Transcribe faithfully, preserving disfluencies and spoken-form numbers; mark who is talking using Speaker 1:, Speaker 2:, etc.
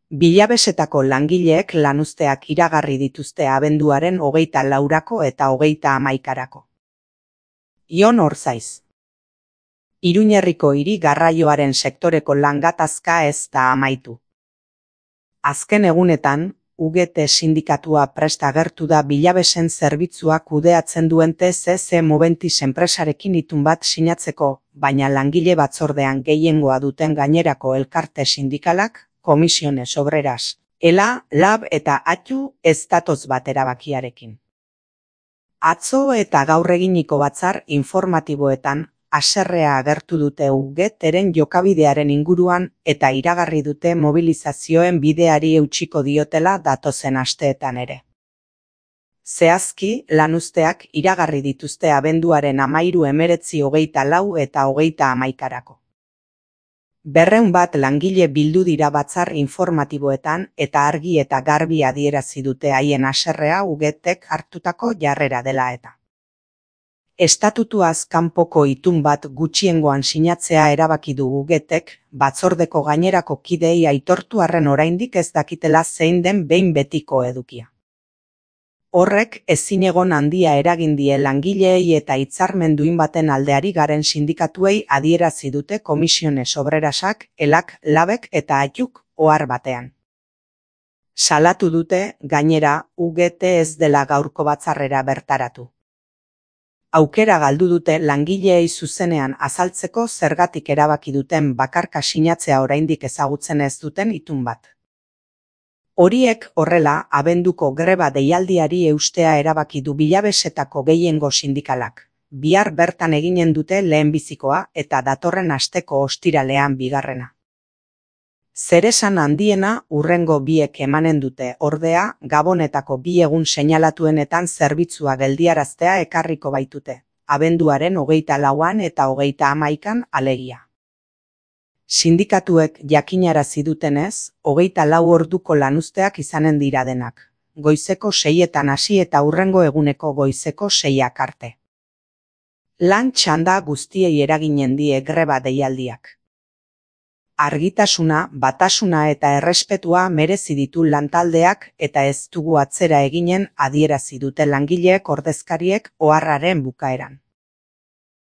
Speaker 1: Bilabesetako langileek lanuzteak iragarri dituzte abenduaren hogeita laurako eta hogeita hamaikarako. Ion Orzaiz. Iruñerriko hiri garraioaren sektoreko langatazka ez da amaitu. Azken egunetan, U G T sindikatua prest agertu da bilabesen zerbitzua kudeatzen duen T C C Moventis enpresarekin itun bat sinatzeko, baina langile batzordean gehiengoa duten gainerako elkarte sindikalak, Comisiones Obreras, ELA, LAB eta ATU ez datoz bat erabakiarekin. Atzo eta gaur eginiko batzar informatiboetan, haserrea agertu dute U G Tren jokabidearen inguruan eta iragarri dute mobilizazioen bideari eutsiko diotela datozen asteetan ere. Zehazki, lanuzteak iragarri dituzte abenduaren hamairu hemeretzi hogeita lau eta hogeita hamaikarako. Berreun bat langile bildu dira batzar informatiboetan eta argi eta garbi adierazi dute haien haserrea U G Tek hartutako jarrera dela eta. Estatutuaz kanpoko itun bat gutxiengoan sinatzea erabaki du U G Tek, batzordeko gainerako kideei aitortu arren oraindik ez dakitela zein den behin betiko edukia. Horrek ezinegon handia eragin die langileei eta hitzarmen duin baten aldeari garen sindikatuei adierazi dute Comisiones Obrerasak, ELAK, LABek eta ATUk ohar batean. Salatu dute, gainera, U G T ez dela gaurko batzarrera bertaratu. Aukera galdu dute langileei zuzenean azaltzeko zergatik erabaki duten bakarka sinatzea oraindik ezagutzen ez duten itun bat. Horiek horrela abenduko greba deialdiari eustea erabaki du bilabesetako gehiengo sindikalak. Bihar bertan eginen dute lehenbizikoa eta datorren asteko ostiralean bigarrena. Zeresan handiena hurrengo biek emanen dute, ordea, Gabonetako bi egun seinalatuenetan zerbitzua geldiaraztea ekarriko baitute, abenduaren hogeita lauan eta hogeita hamaikan alegia. Sindikatuek jakinarazi dutenez, hogeita lau orduko lanuzteak izanen dira denak, goizeko seietan hasi eta hurrengo eguneko goizeko seiak arte. Lan txanda guztiei eraginen die greba deialdiak. Argitasuna, batasuna eta errespetua merezi ditu lantaldeak eta ez dugu atzera eginen adierazi dute langileek ordezkariek oharraren bukaeran.